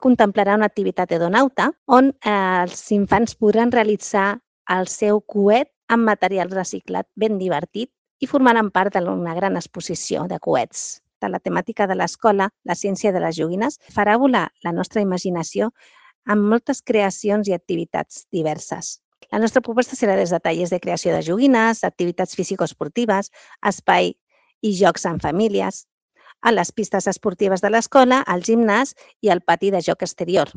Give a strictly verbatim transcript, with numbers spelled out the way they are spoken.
contemplarà una activitat hedonauta on eh, els infants podran realitzar el seu coet amb material reciclat ben divertit i formaran part d'una gran exposició de coets. De la temàtica de l'escola, la ciència de les joguines, farà volar la nostra imaginació amb moltes creacions i activitats diverses. La nostra proposta serà des de tallers de creació de joguines, activitats físico-esportives, espai i jocs en famílies, a les pistes esportives de l'escola, al gimnàs i al pati de joc exterior.